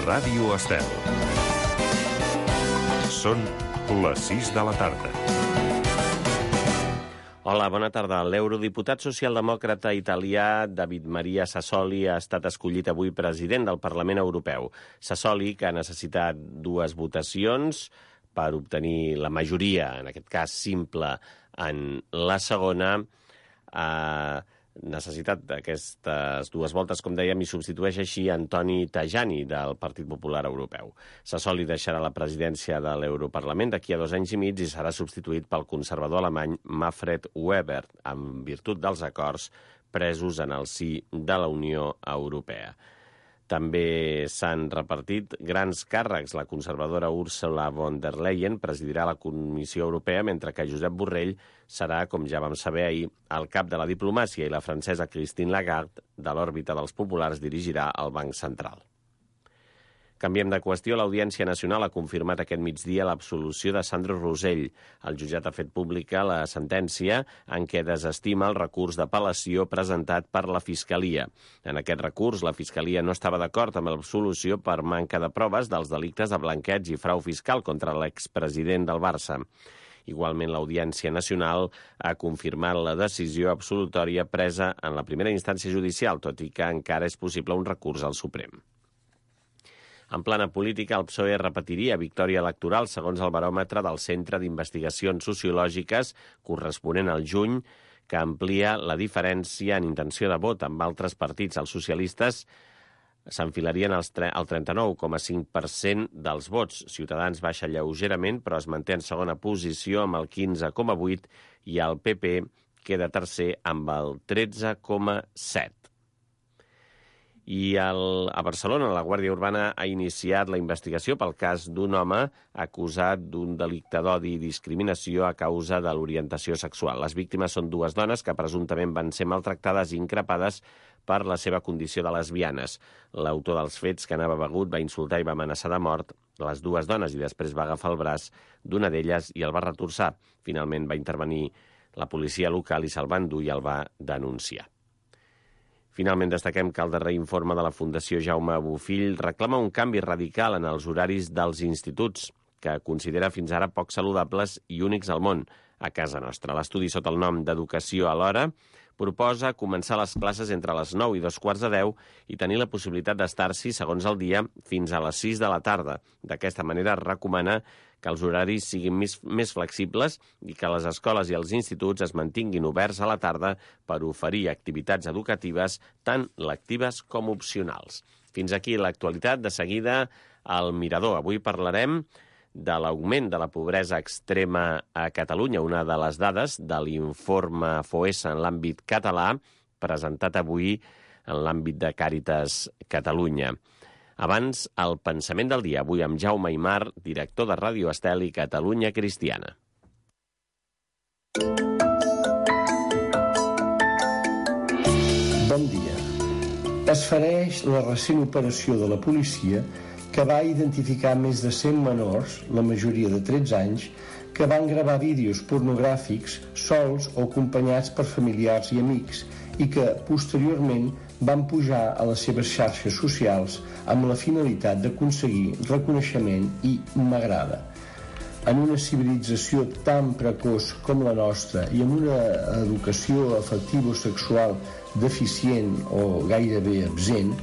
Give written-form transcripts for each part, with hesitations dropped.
Ràdio Estel. Són les 6 de la tarda. Hola, bona tarda. L'eurodiputat socialdemòcrata italià David Maria Sassoli ha estat escollit avui president del Parlament Europeu. Sassoli, que ha necessitat 2 votacions per obtenir la majoria, en aquest cas simple, en la segona, ha necessitat aquestes 2 voltes, com dèiem, i substitueix així Antoni Tajani, del Partit Popular Europeu. Sassoli deixarà la presidència de l'Europarlament d'aquí a 2 anys i mig i serà substituït pel conservador alemany Manfred Weber, en virtut dels acords presos en el si de la Unió Europea. També s'han repartit grans càrrecs. La conservadora Ursula von der Leyen presidirà la Comissió Europea, mentre que Josep Borrell serà, com ja vam saber ahir, el cap de la diplomàcia i la francesa Christine Lagarde, de l'òrbita dels populars, dirigirà el Banc Central. Canviem de qüestió. l'Audiència Nacional ha confirmat aquest migdia l'absolució de Sandro Rosell. El jutjat ha fet pública la sentència en què desestima el recurs d'apel·lació presentat per la Fiscalia. En aquest recurs, la Fiscalia no estava d'acord amb l'absolució per manca de proves dels delictes de blanqueig i frau fiscal contra l'expresident del Barça. Igualment, l'Audiència Nacional ha confirmat la decisió absolutòria presa en la primera instància judicial, tot i que encara és possible un recurs al Suprem. En plana política, el PSOE repetiria victòria electoral segons el baròmetre del Centre d'Investigacions Sociològiques corresponent al juny, que amplia la diferència en intenció de vot amb altres partits. Els socialistes s'enfilarien al 39,5% dels vots. Ciutadans baixa lleugerament, però es manté en segona posició amb el 15,8% i el PP queda tercer amb el 13,7%. I a Barcelona, la Guàrdia Urbana ha iniciat la investigació pel cas d'un home acusat d'un delicte d'odi i discriminació a causa de l'orientació sexual. Les víctimes són 2 dones que presumptament van ser maltractades i increpades per la seva condició de lesbianes. L'autor dels fets, que anava begut, va insultar i va amenaçar de mort les 2 dones i després va agafar el braç d'una d'elles i el va retorçar. Finalment va intervenir la policia local i se'l va endur i el va denunciar. Finalment, destaquem que el darrer informe de la Fundació Jaume Bofill reclama un canvi radical en els horaris dels instituts, que considera fins ara poc saludables i únics al món, a casa nostra. L'estudi sota el nom d'Educació a l'hora proposa començar les classes entre les 9 i 2:15 i tenir la possibilitat d'estar-s'hi, segons el dia, fins a les 6 de la tarda. D'aquesta manera, recomana que els horaris siguin més flexibles i que les escoles i els instituts es mantinguin oberts a la tarda per oferir activitats educatives tant lectives com opcionals. Fins aquí l'actualitat. De seguida, al Mirador. Avui parlarem de l'augment de la pobresa extrema a Catalunya, una de les dades de l'informe FOESA en l'àmbit català, presentat avui en l'àmbit de Càritas Catalunya. Abans, el pensament del dia, avui amb Jaume Aymar, director de Ràdio Estel i Catalunya Cristiana. Bon dia. Es fareix la recent operació de la policia que va identificar més de 100 menors, la majoria de 13 anys, que van gravar vídeos pornogràfics sols o acompanyats per familiars i amics i que, posteriorment, van pujar a les seves xarxes socials amb la finalitat d'aconseguir reconeixement i m'agrada. En una civilització tan precoç com la nostra i amb una educació afectivo-sexual deficient o gairebé absent,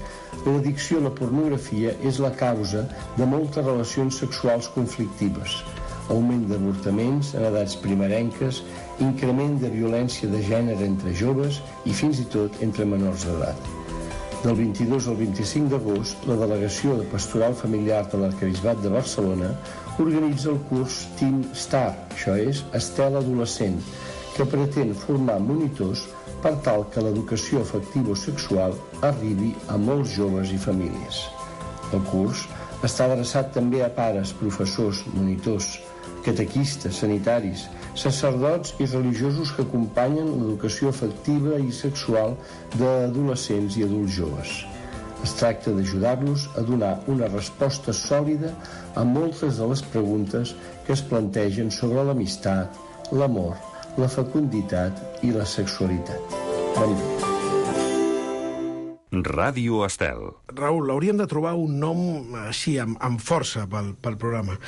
l'addicció a la pornografia és la causa de moltes relacions sexuals conflictives, augment d'avortaments en edats primerenques, increment de violència de gènere entre joves i fins i tot entre menors d'edat. Del 22 al 25 d'agost, la Delegació de Pastoral Familiar de l'Arquebisbat de Barcelona organitza el curs Teen Star, això és, Estel Adolescent, que pretén formar monitors per tal que l'educació afectivo-sexual arribi a molts joves i famílies. El curs està adreçat també a pares, professors, monitors, catequistes, sanitaris, sacerdots i religiosos que acompanyen l'educació afectiva i sexual d'adolescents i adults joves. Es tracta d'ajudar-los a donar una resposta sòlida a moltes de les preguntes que es plantegen sobre l'amistat, l'amor, la fecunditat i la sexualitat. Bon dia. Ràdio Estel. Raül, hauríem de trobar un nom així, amb força pel programa.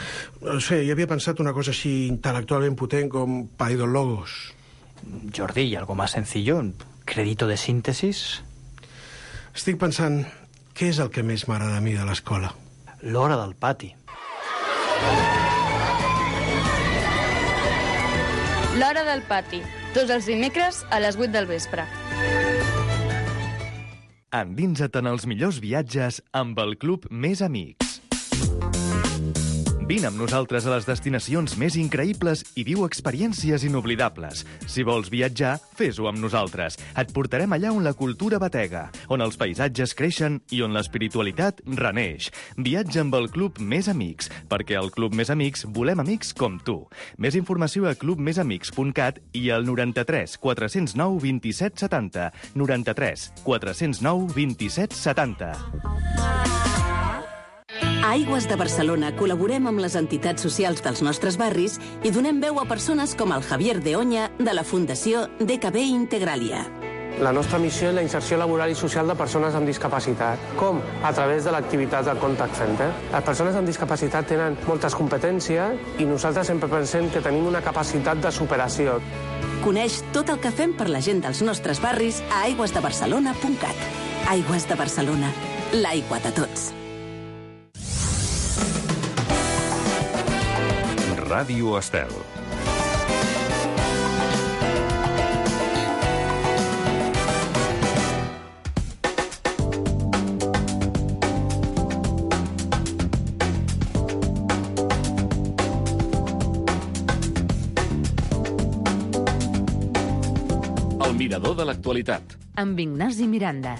No sé, jo havia pensat una cosa així intel·lectualment potent com Paidologos. Jordi, ¿y algo más sencillo? ¿Crédito de síntesis? Estic pensant, què és el que més m'agrada a mi de l'escola? L'hora del pati. L'hora del pati, tots els dimecres a les 8 del vespre. Endinsa't en els millors viatges amb el Club Més Amics. Vine amb nosaltres a les destinacions més increïbles i viu experiències inoblidables. Si vols viatjar, fes-ho amb nosaltres. Et portarem allà on la cultura batega, on els paisatges creixen i on l'espiritualitat reneix. Viatja amb el Club Més Amics, perquè al Club Més Amics volem amics com tu. Més informació a clubmesamics.cat i al 93 409 27 70. 93 409 27 70. A Aigües de Barcelona col·laborem amb les entitats socials dels nostres barris i donem veu a persones com el Javier de Oña de la Fundació DKB Integralia. La nostra missió és la inserció laboral i social de persones amb discapacitat. Com? A través de l'activitat del Contact Center. Les persones amb discapacitat tenen moltes competències i nosaltres sempre pensem que tenim una capacitat de superació. Coneix tot el que fem per la gent dels nostres barris a aigüesdebarcelona.cat. Aigües de Barcelona, l'aigua de tots. Ràdio Estel. El mirador de l'actualitat. Amb Ignasi Miranda.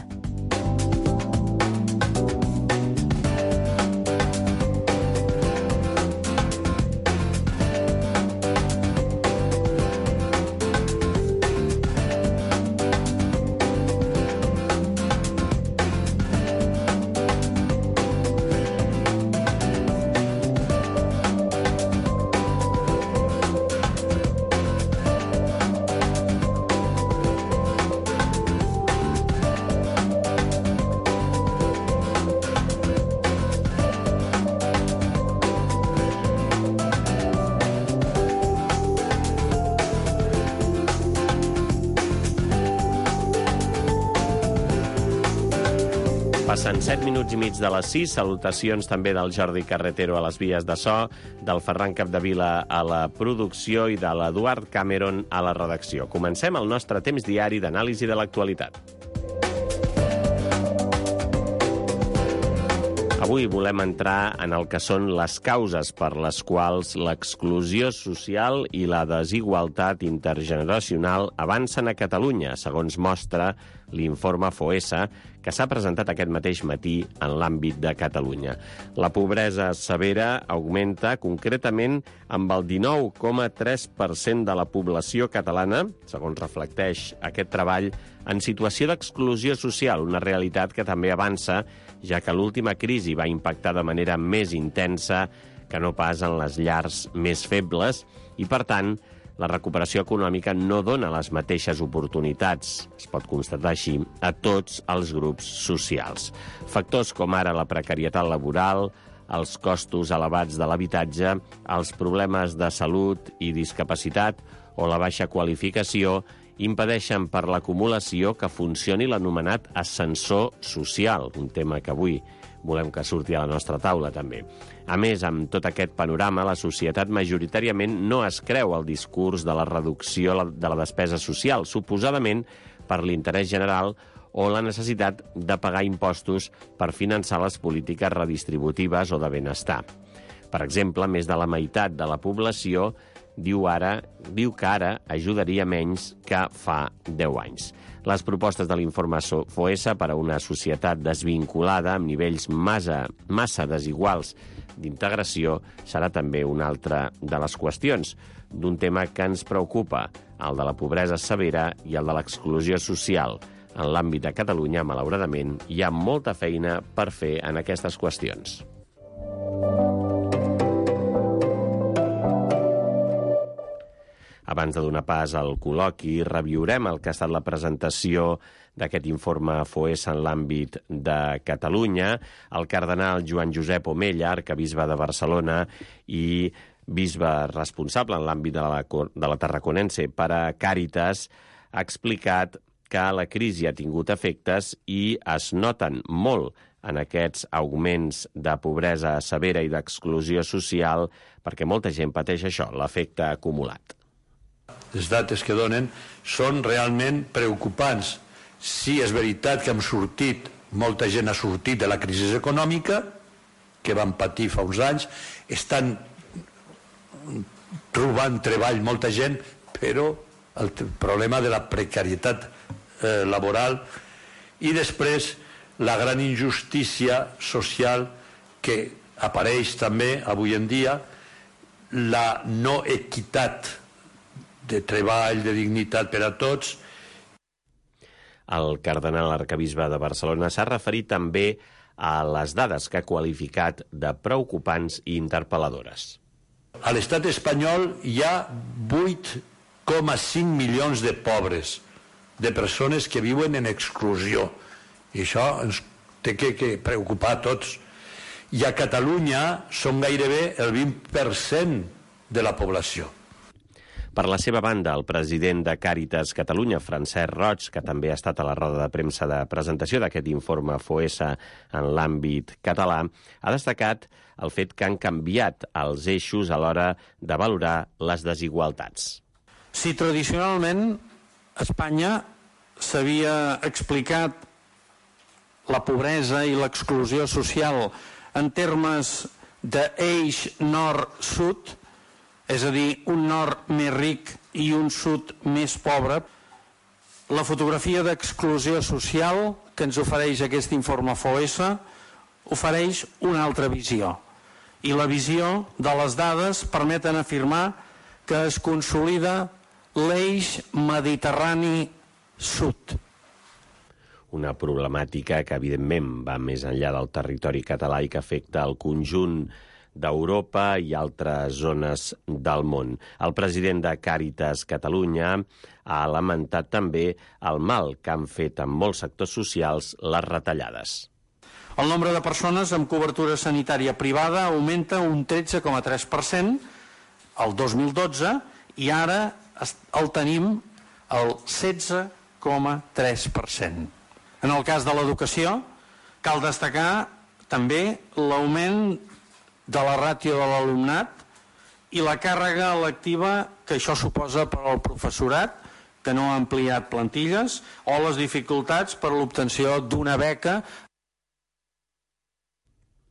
Passen 7 minuts i mig de les 6. Salutacions també del Jordi Carretero a les vies de so, del Ferran Capdevila a la producció i de l'Eduard Cameron a la redacció. Comencem el nostre temps diari d'anàlisi de l'actualitat. Avui volem entrar en el que són les causes per les quals l'exclusió social i la desigualtat intergeneracional avancen a Catalunya, segons mostra l'informe FOESA, que s'ha presentat aquest mateix matí en l'àmbit de Catalunya. La pobresa severa augmenta concretament amb el 19,3% de la població catalana, segons reflecteix aquest treball, en situació d'exclusió social, una realitat que també avança, ja que l'última crisi va impactar de manera més intensa que no pas en les llars més febles i, per tant, la recuperació econòmica no dona les mateixes oportunitats, es pot constatar així, a tots els grups socials. Factors com ara la precarietat laboral, els costos elevats de l'habitatge, els problemes de salut i discapacitat o la baixa qualificació impedeixen per l'acumulació que funcioni l'anomenat ascensor social, un tema que avui volem que surti a la nostra taula també. A més, amb tot aquest panorama, la societat majoritàriament no es creu el discurs de la reducció de la despesa social, suposadament per l'interès general o la necessitat de pagar impostos per finançar les polítiques redistributives o de benestar. Per exemple, més de la meitat de la població diu que ara ajudaria menys que fa 10 anys. Les propostes de l'informe FOESA per a una societat desvinculada amb nivells massa desiguals d'integració serà també una altra de les qüestions d'un tema que ens preocupa, el de la pobresa severa i el de l'exclusió social. En l'àmbit de Catalunya, malauradament, hi ha molta feina per fer en aquestes qüestions. Abans de donar pas al col·loqui, reviurem el que ha estat la presentació d'aquest informe FOESA en l'àmbit de Catalunya. El cardenal Joan Josep Omella, arcabisbe de Barcelona i bisbe responsable en l'àmbit de la Tarraconense per a Càritas, ha explicat que la crisi ha tingut efectes i es noten molt en aquests augments de pobresa severa i d'exclusió social perquè molta gent pateix això, l'efecte acumulat. Les dades que donen són realment preocupants. Sí, és veritat que molta gent ha sortit de la crisi econòmica que van patir fa uns anys, estan trobant treball molta gent, però el problema de la precarietat laboral i després la gran injustícia social que apareix també avui en dia, la no equitat de treball, de dignitat per a tots. El cardenal arcabisbe de Barcelona s'ha referit també a les dades que ha qualificat de preocupants i interpel·ladores. A l'estat espanyol hi ha 8,5 milions de pobres, de persones que viuen en exclusió. I això ens té que preocupar a tots. I a Catalunya són gairebé el 20% de la població. Per la seva banda, el president de Càritas Catalunya, Francesc Roig, que també ha estat a la roda de premsa de presentació d'aquest informe FOESA en l'àmbit català, ha destacat el fet que han canviat els eixos a l'hora de valorar les desigualtats. Si tradicionalment Espanya s'havia explicat la pobresa i l'exclusió social en termes d'eix nord-sud, és a dir, un nord més ric i un sud més pobre, la fotografia d'exclusió social que ens ofereix aquest informe FOESA ofereix una altra visió. I la visió de les dades permeten afirmar que es consolida l'eix mediterrani sud. Una problemàtica que, evidentment, va més enllà del territori català i que afecta el conjunt d'Europa i altres zones del món. El president de Càritas Catalunya ha lamentat també el mal que han fet en molts sectors socials les retallades. El nombre de persones amb cobertura sanitària privada augmenta un 13,3% el 2012 i ara el tenim al 16,3%. En el cas de l'educació, cal destacar també l'augment de la ràtio de l'alumnat i la càrrega lectiva que això suposa per al professorat, que no ha ampliat plantilles, o les dificultats per a l'obtenció d'una beca.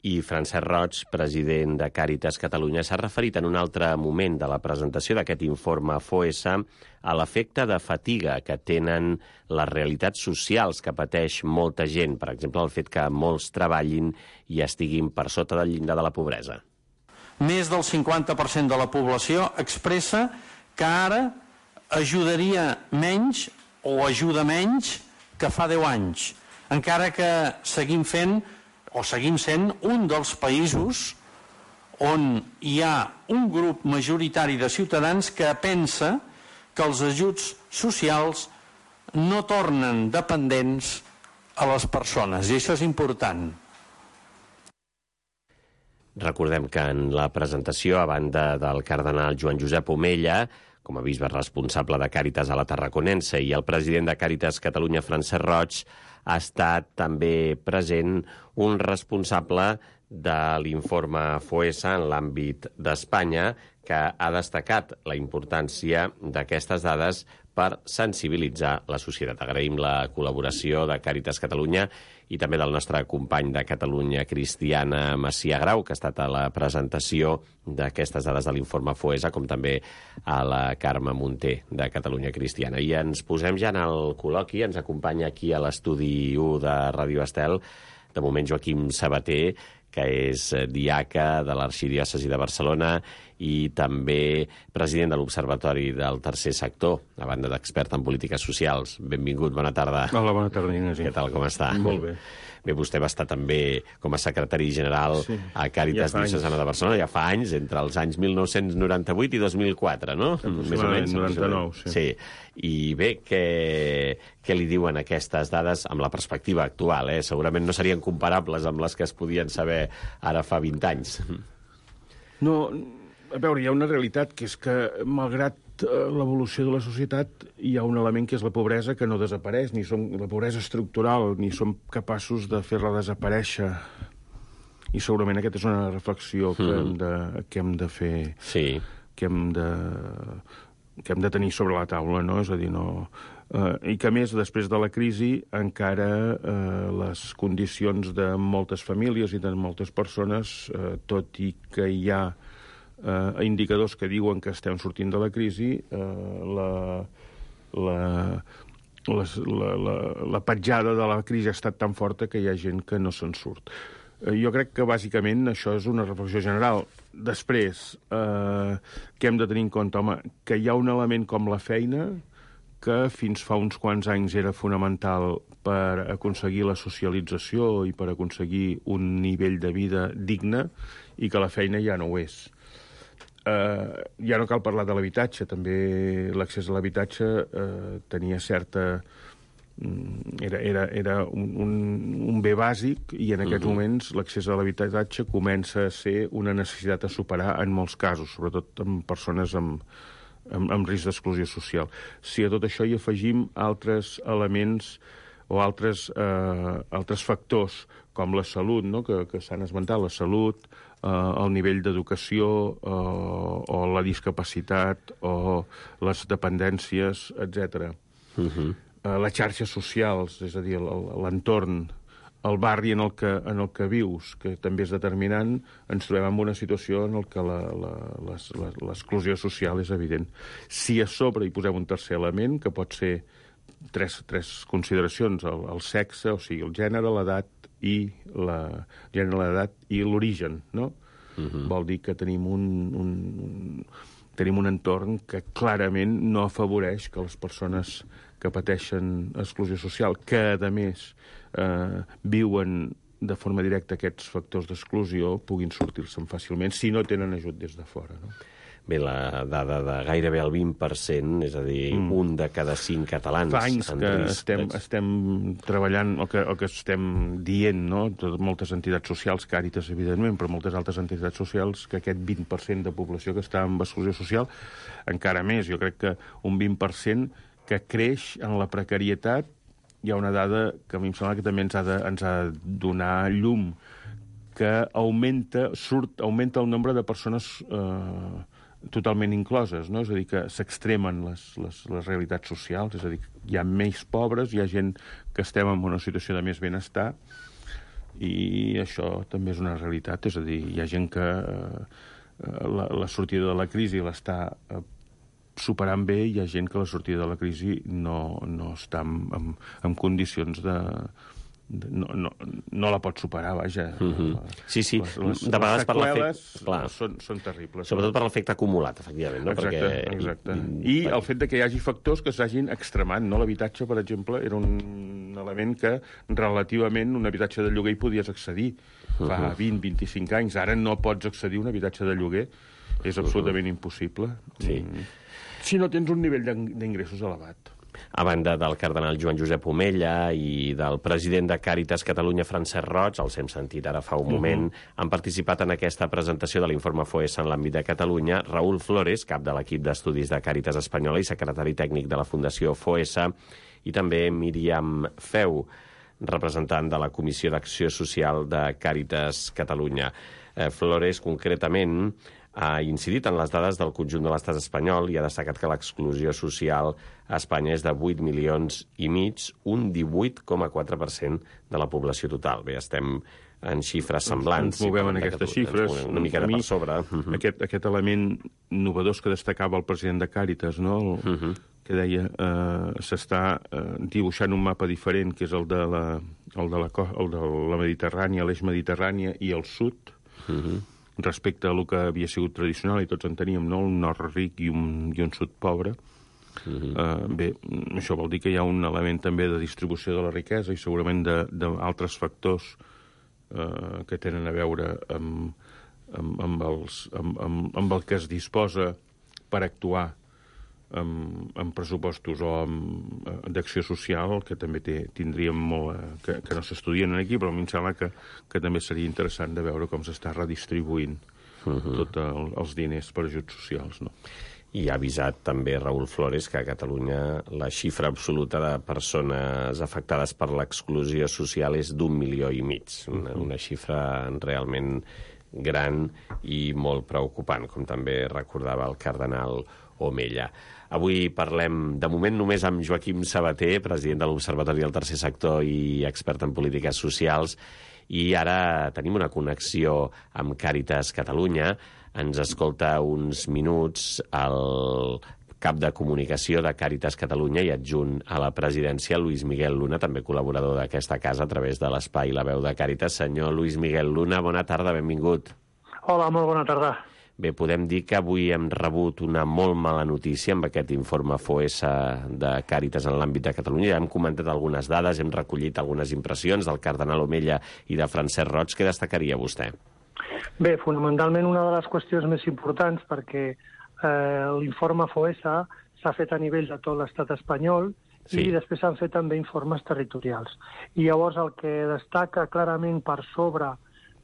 I Francesc Roig, president de Càritas Catalunya, s'ha referit en un altre moment de la presentació d'aquest informe FOESA a l'efecte de fatiga que tenen les realitats socials que pateix molta gent, per exemple, el fet que molts treballin i estiguin per sota del llindar de la pobresa. Més del 50% de la població expressa que ara ajudaria menys o ajuda menys que fa 10 anys, encara que seguim sent un dels països on hi ha un grup majoritari de ciutadans que pensa que els ajuts socials no tornen dependents a les persones, i això és important. Recordem que en la presentació, a banda del cardenal Joan Josep Omella, com a bisbe responsable de Càritas a la Tarraconense, i el president de Càritas Catalunya, Francesc Roig, ha estat també present un responsable de l'informe FOESA en l'àmbit d'Espanya, que ha destacat la importància d'aquestes dades per sensibilitzar la societat. Agraïm la col·laboració de Càritas Catalunya i també del nostre company de Catalunya Cristiana, Macià Grau, que ha estat a la presentació d'aquestes dades de l'informe FOESA, com també a la Carme Munté, de Catalunya Cristiana. I ens posem ja en el col·loqui. Ens acompanya aquí a l'estudi 1 de Ràdio Estel, de moment, Joaquim Sabater, que és diaca de l'Arxidiòcesi de Barcelona i també president de l'Observatori del Tercer Sector, a banda d'expert en polítiques socials. Benvingut, bona tarda. Hola, bona tarda, Ignasi. Què tal, com està? Molt bé. Bé, vostè va estar també com a secretari general a Càritas Diocesana de Barcelona ja fa anys, entre els anys 1998 i 2004, no? Més o menys. 99, sí. Sí. I bé, què li diuen aquestes dades amb la perspectiva actual? Segurament no serien comparables amb les que es podien saber ara fa 20 anys. No, a veure, hi ha una realitat, que és que, malgrat l'evolució de la societat, hi ha un element que és la pobresa, que no desapareix, la pobresa estructural, ni som capaços de fer-la desaparèixer. I segurament aquesta és una reflexió que hem de fer, que hem de tenir sobre la taula, no? És a dir, no... I que, a més, després de la crisi, encara les condicions de moltes famílies i de moltes persones, tot i que hi ha indicadors que diuen que estem sortint de la crisi, la petjada de la crisi ha estat tan forta que hi ha gent que no se'n surt. Jo crec que, bàsicament, això és una reflexió general. Després, què hem de tenir en compte? Home, que hi ha un element com la feina que fins fa uns quants anys era fonamental per aconseguir la socialització i per aconseguir un nivell de vida digne, i que la feina ja no ho és. Ja no cal parlar de l'habitatge, també l'accés a l'habitatge tenia certa... Era un bé bàsic, i en aquests moments l'accés a l'habitatge comença a ser una necessitat a superar en molts casos, sobretot en persones amb risc d'exclusió social. Si a tot això hi afegim altres elements o altres factors, com la salut, no? que s'han esmentat, la salut, el nivell d'educació, o la discapacitat, o les dependències, etc. Les xarxes socials, és a dir, l'entorn, el barri en el que vius, que també és determinant, ens trobem en una situació en què l'exclusió social és evident. Si a sobre hi posem un tercer element, que pot ser tres consideracions, el sexe, o sigui, el gènere, l'edat i l'origen, no? Vol dir que tenim un entorn que clarament no afavoreix que les persones que pateixen exclusió social, que, a més, viuen de forma directa aquests factors d'exclusió, puguin sortir-se'n fàcilment si no tenen ajut des de fora, no? Bé, la dada de gairebé el 20%, és a dir, un de cada 5 catalans... Fa anys que estem treballant, o que estem dient, no? Moltes entitats socials, Càritas, evidentment, però moltes altres entitats socials, que aquest 20% de població que està en exclusió social, encara més, jo crec que un 20% que creix en la precarietat. Hi ha una dada que a mi em sembla que també ens ha de donar llum, que augmenta el nombre de persones totalment incloses, no? És a dir, que s'extremen les realitats socials, és a dir, hi ha més pobres, hi ha gent que estem en una situació de més benestar, i això també és una realitat, és a dir, hi ha gent que la sortida de la crisi l'està superant bé, i hi ha gent que la sortida de la crisi no està en condicions de... No la pot superar, vaja. Sí, de vegades per l'efecte... Són terribles. Sobretot per l'efecte acumulat, efectivament. Exacte. I el fet que hi hagi factors que s'hagin extremat, no? L'habitatge, per exemple, era un element que relativament un habitatge de lloguer hi podies accedir fa 20-25 anys. Ara no pots accedir a un habitatge de lloguer. És absolutament impossible. Si no tens un nivell d'ingressos elevat. A banda del cardenal Joan Josep Omella i del president de Càritas Catalunya, Francesc Roig, els hem sentit ara fa un moment, han participat en aquesta presentació de l'informe FOESA en l'àmbit de Catalunya Raúl Flores, cap de l'equip d'estudis de Càritas Espanyola i secretari tècnic de la Fundació FOESA, i també Míriam Feu, representant de la Comissió d'Acció Social de Càritas Catalunya. Flores, concretament, ha incidit en les dades del conjunt de l'estat espanyol i ha destacat que l'exclusió social a Espanya és de 8,5 milions, un 18,4% de la població total. Bé, estem en xifres semblants. Ens movem en aquestes xifres. Una miqueta per sobre. Aquest element innovador que destacava el president de Càritas, no? Que deia s'està dibuixant un mapa diferent, que és el de la Mediterrània, l'eix mediterrània i el sud, respecte a el que havia sigut tradicional, i tots en teníem, no? Un nord ric i un sud pobre. Bé, això vol dir que hi ha un element també de distribució de la riquesa i segurament d'altres factors que tenen a veure amb el que es disposa per actuar amb pressupostos o d'acció social, que també tindríem molt que no s'estudien aquí, però a mi em sembla que també seria interessant de veure com s'està redistribuint tots els diners per ajuts socials, no? I ha avisat també Raúl Flores que a Catalunya la xifra absoluta de persones afectades per l'exclusió social és d'1,5 milions, una xifra realment gran i molt preocupant, com també recordava el cardenal Omella. Avui parlem, de moment, només amb Joaquim Sabater, president de l'Observatori del Tercer Sector i expert en polítiques socials, i ara tenim una connexió amb Càritas Catalunya. Ens escolta uns minuts el cap de comunicació de Càritas Catalunya i adjunt a la presidència, Luis Miguel Luna, també col·laborador d'aquesta casa a través de l'espai La Veu de Càritas. Senyor Luis Miguel Luna, bona tarda, benvingut. Hola, molt bona tarda. Bé, podem dir que avui hem rebut una molt mala notícia amb aquest informe FOESA de Càritas en l'àmbit de Catalunya. Ja hem comentat algunes dades, hem recollit algunes impressions del cardenal Omella i de Francesc Roig. Què destacaria vostè? Bé, fonamentalment una de les qüestions més importants, perquè l'informe FOESA s'ha fet a nivell de tot l'estat espanyol i després s'han fet també informes territorials. I llavors el que destaca clarament per sobre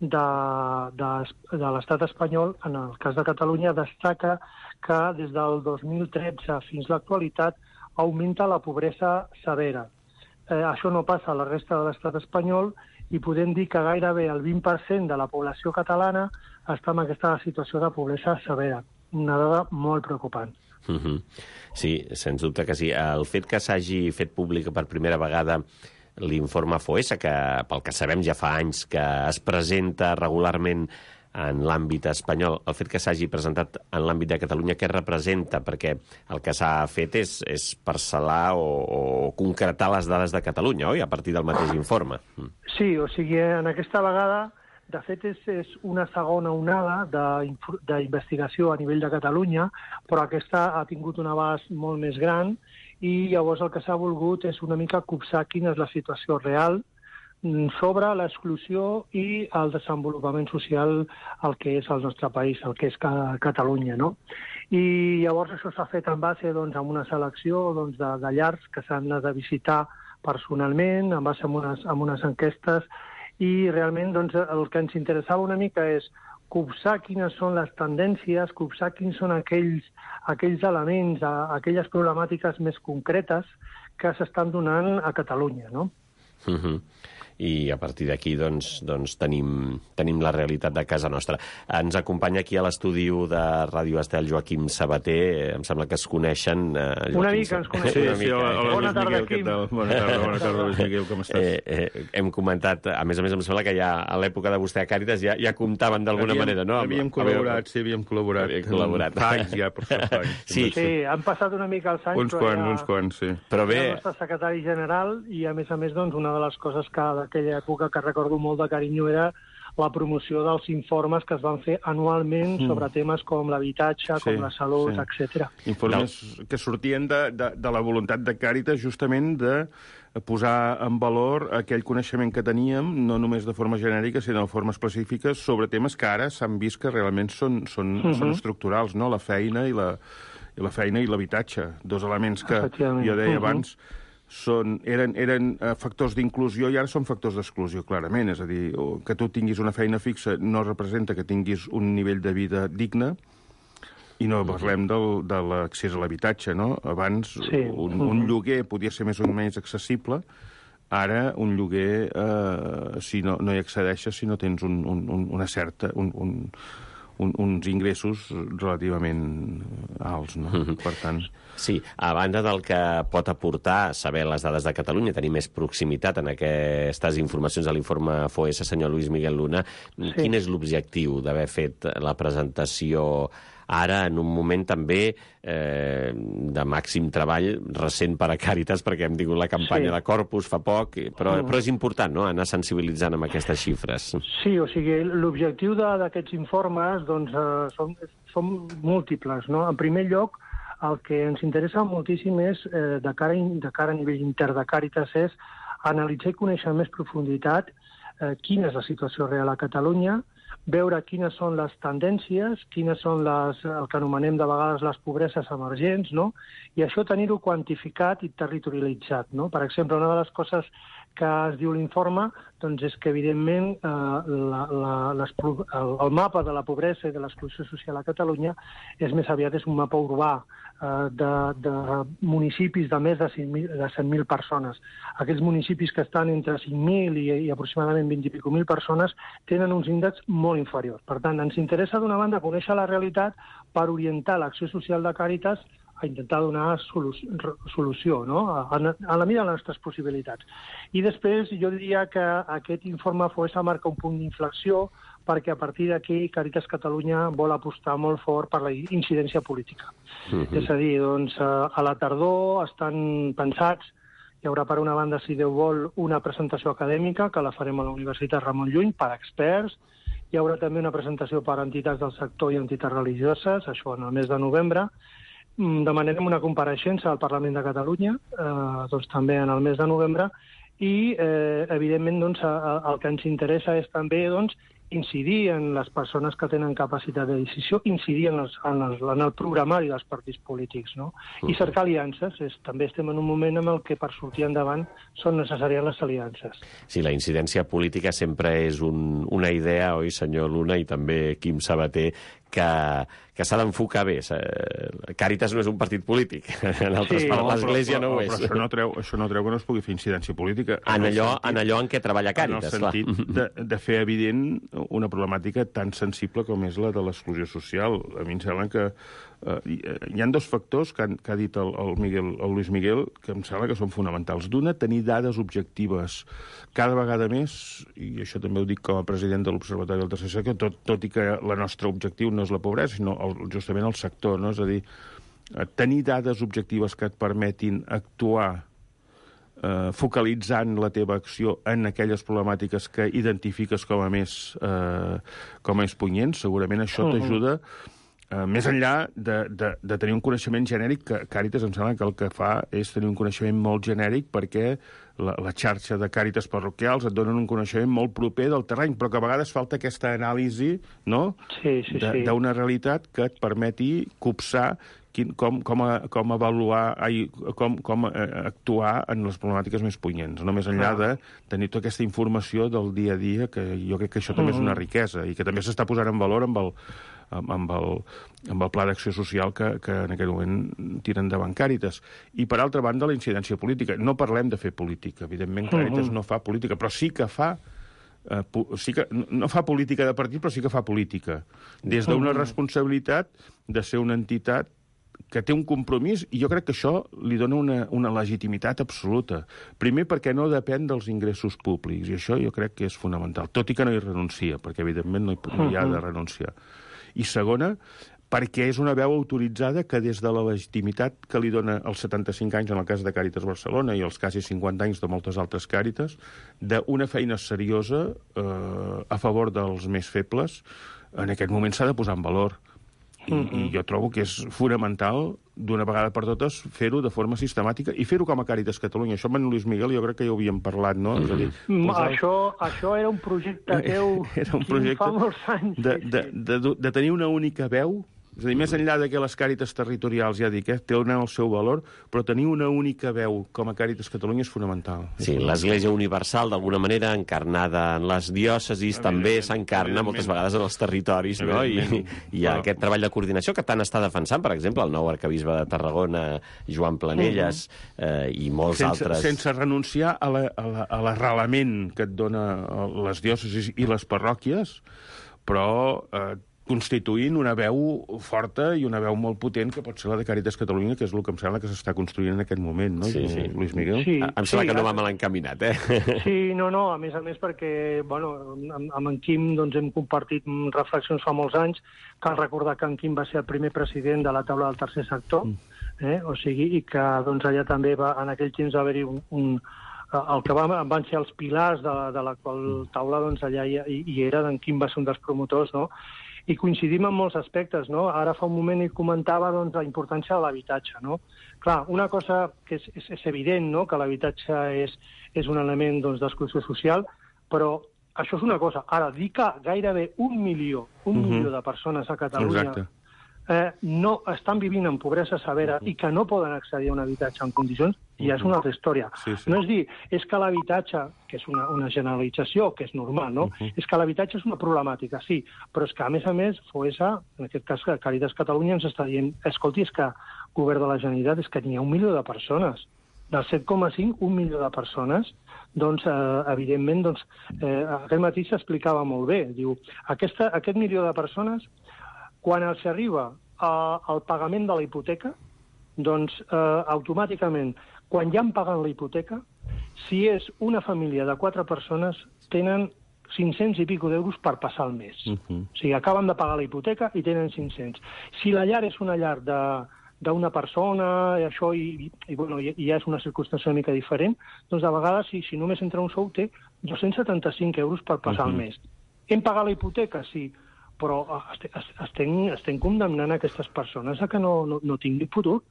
de l'estat espanyol, en el cas de Catalunya, destaca que des del 2013 fins a l'actualitat augmenta la pobresa severa. Això no passa a la resta de l'estat espanyol i podem dir que gairebé el 20% de la població catalana està en aquesta situació de pobresa severa. Una dada molt preocupant. Sí, sens dubte que sí. El fet que s'hagi fet públic per primera vegada l'informe FOESA, que pel que sabem ja fa anys que es presenta regularment en l'àmbit espanyol, el fet que s'hagi presentat en l'àmbit de Catalunya, què representa? Perquè el que s'ha fet és parcel·lar o concretar les dades de Catalunya, oi? A partir del mateix informe. Sí, o sigui, en aquesta vegada, de fet, és una segona onada d'investigació a nivell de Catalunya, però aquesta ha tingut un abast molt més gran i llavors el que s'ha volgut és una mica copsar quina és la situació real sobre l'exclusió i el desenvolupament social al que és el nostre país, el que és Catalunya, no? I llavors això s'ha fet en base amb una selecció de llars que s'han de visitar personalment, en base a unes enquestes, i realment el que ens interessava una mica és copsar quines són les tendències, copsar quins són aquells elements, aquelles problemàtiques més concretes que s'estan donant a Catalunya, no? I a partir d'aquí tenim la realitat de casa nostra. Ens acompanya aquí a l'estudi de Ràdio Estel Joaquim Sabater. Em sembla que es coneixen. Una mica ens coneixem. Sí, hola, bona tarda, Quim. Bona tarda, Luis Miguel, com estàs? Hem comentat, a més, em sembla que ja a l'època de vostè a Càritas ja comptaven d'alguna manera, no? Havíem col·laborat. Fa anys ja, per fa anys. Sí, han passat una mica els anys. Uns quants, sí. Però bé... El nostre secretari general i, a més, una de les coses que d'aquella època que recordo molt de carinyo era la promoció dels informes que es van fer anualment sobre temes com l'habitatge, com la salut, etc. Informes que sortien de la voluntat de Càritas justament de posar en valor aquell coneixement que teníem, no només de forma genèrica, sinó de forma específica, sobre temes que ara s'han vist que realment són estructurals, no? La feina i l'habitatge, dos elements que jo deia abans eren factors d'inclusió i ara són factors d'exclusió, clarament. És a dir, que tu tinguis una feina fixa no representa que tinguis un nivell de vida digne i no parlem de l'accés a l'habitatge, no? Abans un lloguer podia ser més o menys accessible, ara un lloguer, si no hi accedeixes, si no tens una certa... uns ingressos relativament alts, no? Per tant... Sí, a banda del que pot aportar saber les dades de Catalunya, tenir més proximitat en aquestes informacions de l'informe FOESA, senyor Luis Miguel Luna, quin és l'objectiu d'haver fet la presentació ara en un moment també de màxim treball recent per a Càritas, perquè hem tingut la campanya de Corpus fa poc, però és important, no?, anar sensibilitzant amb aquestes xifres. Sí, o sigui, l'objectiu d'aquests informes doncs, són múltiples, no? En primer lloc, el que ens interessa moltíssim és, de cara a nivell intern de Càritas, és analitzar i conèixer amb més profunditat quina és la situació real a Catalunya, veure quines són les tendències, quines són el que anomenem de vegades les pobreses emergents, no? I això tenir-ho quantificat i territorialitzat, no? Per exemple, una de les coses que es diu l'informe doncs és que, evidentment, el mapa de la pobresa i de l'exclusió social a Catalunya més aviat és un mapa urbà de municipis de més de 100.000 persones. Aquells municipis que estan entre 5.000 i aproximadament 20.000 persones tenen uns índexs molt inferiors. Per tant, ens interessa, d'una banda, conèixer la realitat per orientar l'acció social de Càritas a intentar donar solució, no?, a la mida de les nostres possibilitats. I després jo diria que aquest informe FOESA marca un punt d'inflexió perquè a partir d'aquí Càritas Catalunya vol apostar molt fort per la incidència política. És a dir, doncs, a la tardor estan pensats, hi haurà per una banda, si Déu vol, una presentació acadèmica que la farem a la Universitat Ramon Llull per experts, hi haurà també una presentació per entitats del sector i entitats religioses, això en el mes de novembre. Demanarem una compareixença al Parlament de Catalunya, doncs també en el mes de novembre, i, evidentment, doncs, el que ens interessa és també incidir en les persones que tenen capacitat de decisió, incidir en el programari dels partits polítics, no? I cercar aliances. També estem en un moment en el que per sortir endavant són necessàries les aliances. Sí, la incidència política sempre és una idea, oi, senyor Luna, i també Quim Sabater, que s'ha d'enfocar bé. Càritas no és un partit polític. En altres paraules, l'Església no ho és. Però això no treu que no es pugui fer incidència política. En allò en què treballa Càritas, clar. En el sentit de fer evident una problemàtica tan sensible com és la de l'exclusió social. A mi em sembla que hi ha dos factors que ha dit el Luis Miguel que em sembla que són fonamentals. D'una, tenir dades objectives cada vegada més, i això també ho dic com a president de l'Observatori del Tercer Sector, tot i que el nostre objectiu no és la pobresa, sinó justament el sector, no? És a dir, tenir dades objectives que et permetin actuar focalitzant la teva acció en aquelles problemàtiques que identifiques com a més punyents, segurament això t'ajuda. Més enllà de tenir un coneixement genèric, que Càritas em sembla que el que fa és tenir un coneixement molt genèric perquè la xarxa de Càritas parroquials et donen un coneixement molt proper del terreny, però que a vegades falta aquesta anàlisi, no?, d'una realitat que et permeti copsar com avaluar, com actuar en les problemàtiques més punyents, no més enllà de tenir tota aquesta informació del dia a dia, que jo crec que això també és una riquesa i que també s'està posant en valor amb el pla d'acció social que en aquest moment tira endavant Càritas. I, per altra banda, la incidència política. No parlem de fer política. Evidentment, Càritas no fa política, però sí que fa... no fa política de partit, però sí que fa política. Des d'una responsabilitat de ser una entitat que té un compromís, i jo crec que això li dona una legitimitat absoluta. Primer, perquè no depèn dels ingressos públics, i això jo crec que és fonamental, tot i que no hi renuncia, perquè evidentment no hi ha de renunciar. I segona, perquè és una veu autoritzada que des de la legitimitat que li dona els 75 anys en el cas de Càritas Barcelona i els quasi 50 anys de moltes altres Càritas, d'una feina seriosa a favor dels més febles, en aquest moment s'ha de posar en valor. I jo trobo que és fonamental, d'una vegada per totes, fer-ho de forma sistemàtica i fer-ho com a Càritas Catalunya. Això amb en Luis Miguel jo crec que ja ho havíem parlat, no? És a dir, això era un projecte teu fa molts anys. De tenir una única veu, és a dir, més enllà que les Càritas territorials, ja dic, tenen el seu valor, però tenir una única veu com a Càritas Catalunya és fonamental. Sí, l'Església Universal, d'alguna manera, encarnada en les diòcesis, també s'encarna moltes vegades en els territoris, no? I hi ha aquest treball de coordinació que tant està defensant, per exemple, el nou arquebisbe de Tarragona, Joan Planelles, i molts altres. Sense renunciar a l'arrelament que et dona les diòcesis i les parròquies, però constituint una veu forta i una veu molt potent, que pot ser la de Càritas Catalunya, que és el que em sembla que s'està construint en aquest moment, no, Lluís Miguel? Sí, em sembla que no va mal encaminat, Sí, no, a més perquè, amb en Quim hem compartit reflexions fa molts anys. Cal recordar que en Quim va ser el primer president de la taula del tercer sector, o sigui, i que allà també en aquell temps va haver-hi el que van ser els pilars de la qual taula, allà hi era, en Quim va ser un dels promotors, no? I coincidim en molts aspectes, no? Ara fa un moment ell comentava la importància de l'habitatge, no? Clar, una cosa que és evident, no?, que l'habitatge és un element d'exclusió social, però això és una cosa. Ara, dir que gairebé un milió de persones a Catalunya no estan vivint en pobresa severa i que no poden accedir a un habitatge en condicions, ja és una altra història. No és dir, és que l'habitatge, que és una generalització, que és normal, no? És que l'habitatge és una problemàtica, sí, però és que, a més, FOESA, en aquest cas Càritas Catalunya, ens està dient, escolti, és que el govern de la Generalitat és que n'hi ha 1 milió de persones. Del 7,5, 1 milió de persones, evidentment, aquest matí s'explicava molt bé. Diu, aquest milió de persones, quan els arriba el pagament de la hipoteca, automàticament, quan ja han pagat la hipoteca, si és una família de 4 persones, tenen 500 i pico d'euros per passar el mes. O sigui, acaben de pagar la hipoteca i tenen 500. Si la llar és una llar d'una persona, i això, i ja és una circumstància una mica diferent, doncs de vegades, si només entra un sou, té 275 euros per passar el mes. Hem pagat la hipoteca, sí, però estem condemnant aquestes persones a que no tinguin futur.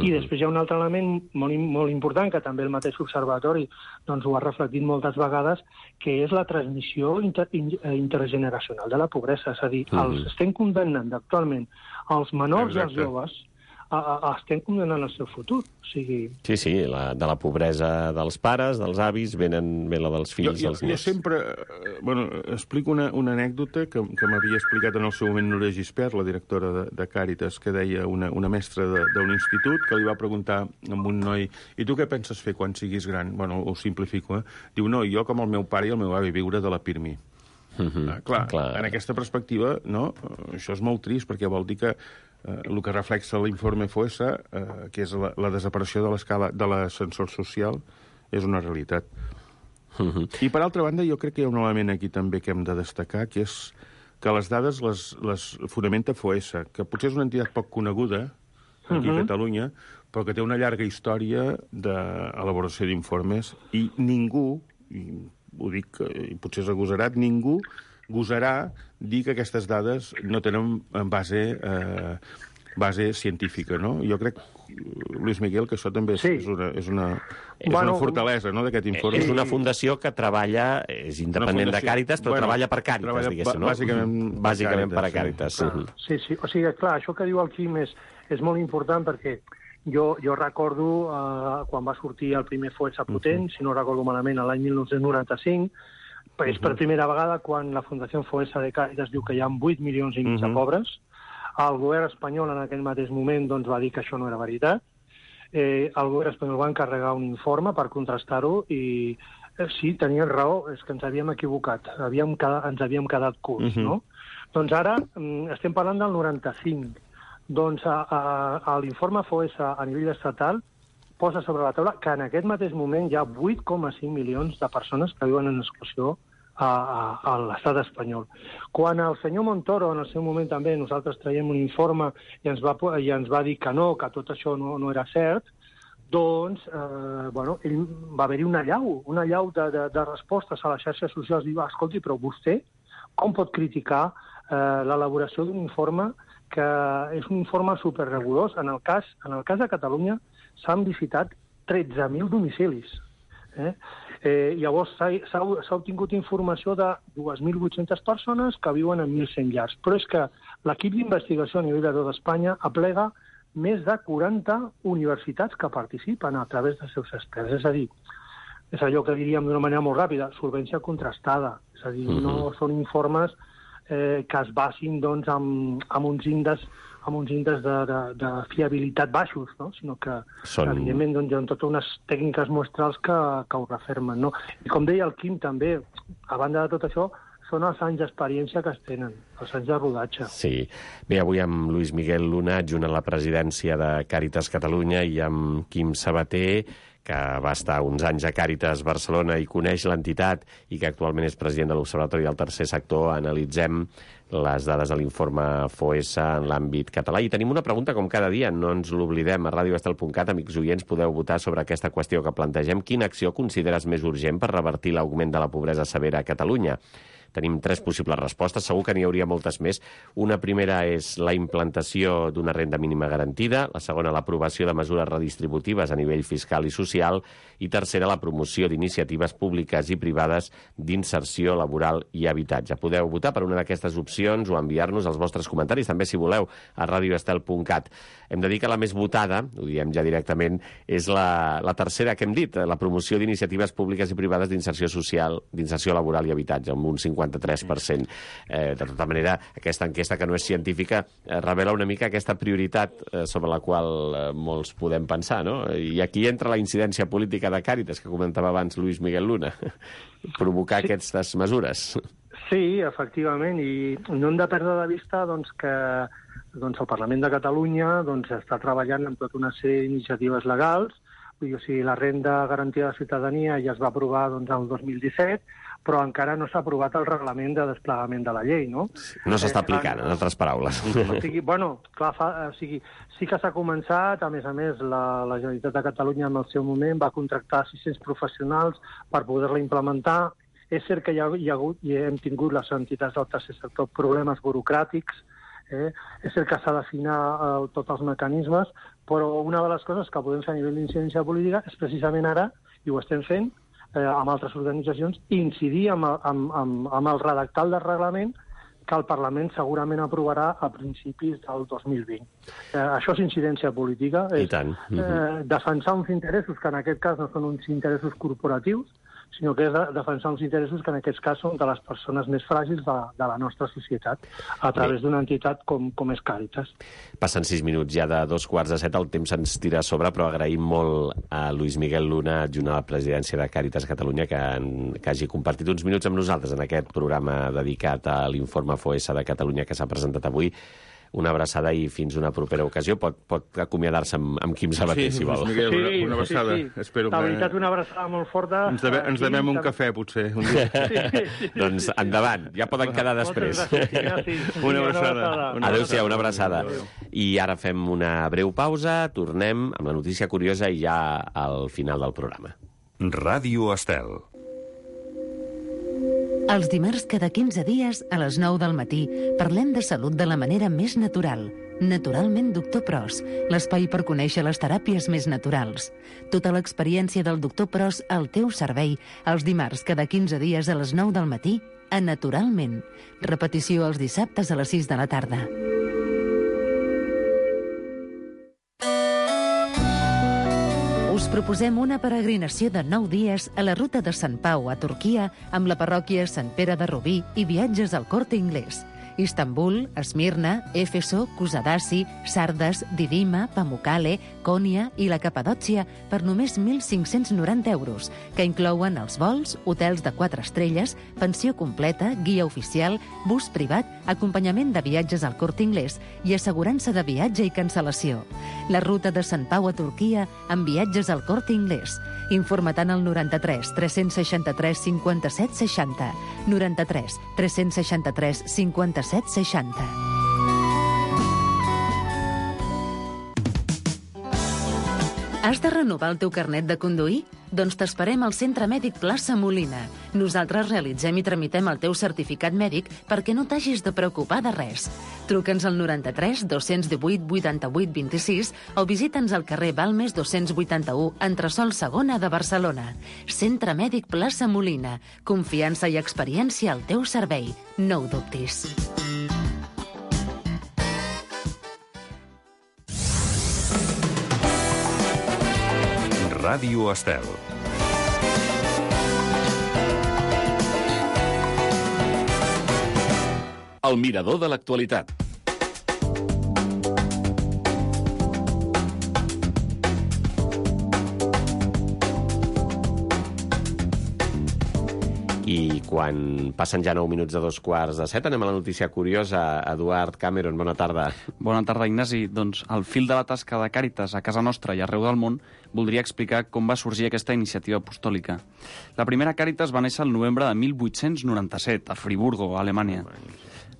I després hi ha un altre element molt important, que també el mateix observatori ho ha reflectit moltes vegades, que és la transmissió intergeneracional de la pobresa. És a dir, els estem condemnant actualment els menors i els joves, estem condemnant el seu futur. Sí, de la pobresa dels pares, dels avis, ve la dels fills, dels nets. Jo sempre explico una anècdota que m'havia explicat en el seu moment Núria Gispert, la directora de Càritas, que deia una mestra d'un institut, que li va preguntar a un noi: i tu què penses fer quan siguis gran? Bueno, ho simplifico, Diu, no, jo com el meu pare i el meu avi viure de la Pirmi. Clar, en aquesta perspectiva, no, això és molt trist, perquè vol dir que el que reflexa l'informe FOESA, que és la desaparició de l'ascensor social, és una realitat. I, per altra banda, jo crec que hi ha un element aquí també que hem de destacar, que és que les dades les fonamenta FOESA, que potser és una entitat poc coneguda aquí a Catalunya, però que té una llarga història d'elaboració d'informes, i ningú, i ho dic, i potser és agosarat, ningú gosarà dir que aquestes dades no tenen base científica, no? Jo crec, Lluís Miguel, que això també és una fortalesa, no?, d'aquest informe. És una fundació que treballa, és independent de Càritas, però treballa per Càritas, diguéssim, no? Bàsicament per Càritas. Sí, o sigui, clar, això que diu el Quim és molt important, perquè jo recordo quan va sortir el primer FOESA potent, si no recordo malament, l'any 1995, és per primera vegada quan la Fundació FOESA de Càritas diu que hi ha 8 milions i mig de pobres. El govern espanyol en aquell mateix moment va dir que això no era veritat. El govern espanyol va encarregar un informe per contrastar-ho i sí, tenien raó, és que ens havíem equivocat, ens havíem quedat curts, no? Doncs ara estem parlant del 95. Doncs l'informe FOESA a nivell estatal posa sobre la taula que en aquest mateix moment hi ha 8,5 milions de persones que viuen en exclusió a l'estat espanyol. Quan el senyor Montoro, en el seu moment també, nosaltres traiem un informe i ens va dir que no, que tot això no era cert, doncs, ell va haver-hi una allau de respostes a les xarxes socials. Diu, escolti, però vostè com pot criticar l'elaboració d'un informe que és un informe superregulós? En el cas de Catalunya s'han visitat 13.000 domicilis. Llavors s'ha obtingut informació de 2.800 persones que viuen en 1.100 llars. Però és que l'equip d'investigació a nivell de tot Espanya aplega més de 40 universitats que participen a través dels seus experts. És a dir, és allò que diríem d'una manera molt ràpida, solvència contrastada. És a dir, no són informes que es basin amb uns índexs de fiabilitat baixos, no? Sinó que, evidentment, hi ha totes unes tècniques muestrals que ho refermen, no? I com deia el Quim, també, a banda de tot això, són els anys d'experiència que es tenen, els anys de rodatge. Sí. Bé, avui amb Luis Miguel Luna, adjunt a la presidència de Càritas Catalunya, i amb Quim Sabater, que va estar uns anys a Càritas Barcelona i coneix l'entitat i que actualment és president de l'Observatori del Tercer Sector, analitzem les dades de l'informe FOESA en l'àmbit català. I tenim una pregunta, com cada dia, no ens l'oblidem. A radioestel.cat, amics oients, podeu votar sobre aquesta qüestió que plantegem. Quina acció consideres més urgent per revertir l'augment de la pobresa severa a Catalunya? Tenim 3 possibles respostes, segur que n'hi hauria moltes més. Una primera és la implantació d'una renda mínima garantida, la segona l'aprovació de mesures redistributives a nivell fiscal i social, i tercera la promoció d'iniciatives públiques i privades d'inserció laboral i habitatge. Podeu votar per una d'aquestes opcions o enviar-nos els vostres comentaris, també si voleu, a radioestel.cat. Hem de dir que la més votada, ho diem ja directament, és la tercera que hem dit, la promoció d'iniciatives públiques i privades d'inserció social, d'inserció laboral i habitatge, amb un 53%. De tota manera, aquesta enquesta, que no és científica, revela una mica aquesta prioritat sobre la qual molts podem pensar, no? I aquí entra la incidència política de Càritas, que comentava abans Luis Miguel Luna, provocar aquestes mesures. Sí, efectivament, i no hem de perdre de vista que el Parlament de Catalunya està treballant en tota una sèrie d'iniciatives legals. O sigui, la renda garantida de ciutadania ja es va aprovar el 2017, però encara no s'ha aprovat el reglament de desplegament de la llei, no? No s'està aplicant, en altres paraules. O sigui, sí que s'ha començat. A més, la Generalitat de Catalunya en el seu moment va contractar 600 professionals per poder-la implementar. És cert que hi ha hagut i hem tingut les entitats del tercer sector problemes burocràtics. És cert que s'ha d'afinar tots els mecanismes, però una de les coses que podem fer a nivell d'incidència política és precisament ara, i ho estem fent amb altres organitzacions, incidir amb el redactat del reglament que el Parlament segurament aprovarà a principis del 2020. Això és incidència política, és defensar uns interessos que en aquest cas no són uns interessos corporatius, sinó que és defensar uns interessos que en aquest cas són de les persones més fràgils de la nostra societat, a través d'una entitat com és Càritas. Passen 6 minuts ja de 2:45, el temps ens tira a sobre, però agraïm molt a Luis Miguel Luna, adjunt a la presidència de Càritas Catalunya, que hagi compartit uns minuts amb nosaltres en aquest programa dedicat a l'informe FOESA de Catalunya que s'ha presentat avui. Una abraçada i fins una propera ocasió. Pot acomiadar-se amb Quim Sabater, si vol. Miguel, una abraçada. Espero la veritat, una abraçada molt forta. Ens devem un cafè, potser, un dia. Doncs endavant, ja poden quedar després. Una abraçada. Adéu-siau, una abraçada. I ara fem una breu pausa, tornem amb la notícia curiosa i ja al final del programa. Ràdio Estel. Els dimarts cada 15 dies, a les 9 del matí, parlem de salut de la manera més natural. Naturalment Doctor Pros, l'espai per conèixer les teràpies més naturals. Tota l'experiència del Doctor Pros al teu servei, els dimarts cada 15 dies a les 9 del matí, a Naturalment. Repetició els dissabtes a les 6 de la tarda. Us proposem una peregrinació de 9 dies a la ruta de Sant Pau a Turquia amb la parròquia Sant Pere de Rubí i viatges al Corte Inglés. Istanbul, Esmirna, Éfeso, Kusadasi, Sardes, Didima, Pamukkale, Konya i la Capadòcia per només 1.590 euros, que inclouen els vols, hotels de 4 estrelles, pensió completa, guia oficial, bus privat, acompanyament de viatges al Corte Inglés i assegurança de viatge i cancel·lació. La ruta de Sant Pau a Turquia amb viatges al Corte Inglés. Informa't al 93 363 57 60. 93 363 57 60. Has de renovar el teu carnet de conduir? Doncs t'esperem al Centre Mèdic Plaça Molina. Nosaltres realitzem i tramitem el teu certificat mèdic perquè no t'hagis de preocupar de res. Truca'ns al 93 218 88 26 o visita'ns al carrer Balmes 281, entresòl Segona de Barcelona. Centre Mèdic Plaça Molina. Confiança i experiència al teu servei. No ho dubtis. Ràdio Estel. El mirador de l'actualitat. I Quan passen ja 9 minuts de 7:15, anem a la notícia curiosa. Eduard Cameron, bona tarda. Bona tarda, Ignasi. Doncs al fil de la tasca de Càritas a casa nostra i arreu del món, voldria explicar com va sorgir aquesta iniciativa apostòlica. La primera Càritas va néixer el novembre de 1897, a Friburgo, a Alemanya.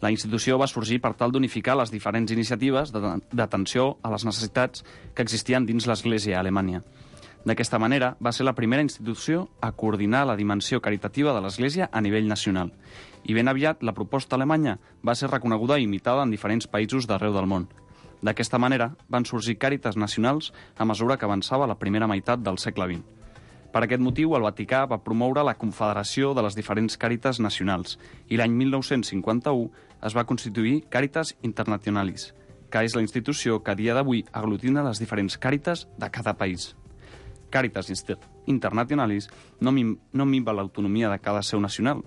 La institució va sorgir per tal d'unificar les diferents iniciatives d'atenció a les necessitats que existien dins l'Església a Alemanya. D'aquesta manera, va ser la primera institució a coordinar la dimensió caritativa de l'Església a nivell nacional. I ben aviat, la proposta alemanya va ser reconeguda i imitada en diferents països d'arreu del món. D'aquesta manera, van sorgir càritas nacionals a mesura que avançava la primera meitat del segle XX. Per aquest motiu, el Vaticà va promoure la Confederació de les diferents càritas nacionals i l'any 1951 es va constituir Càritas Internationalis, que és la institució que a dia d'avui aglutina les diferents càritas de cada país. Càritas Internationalis no minva l'autonomia de cada seu nacional,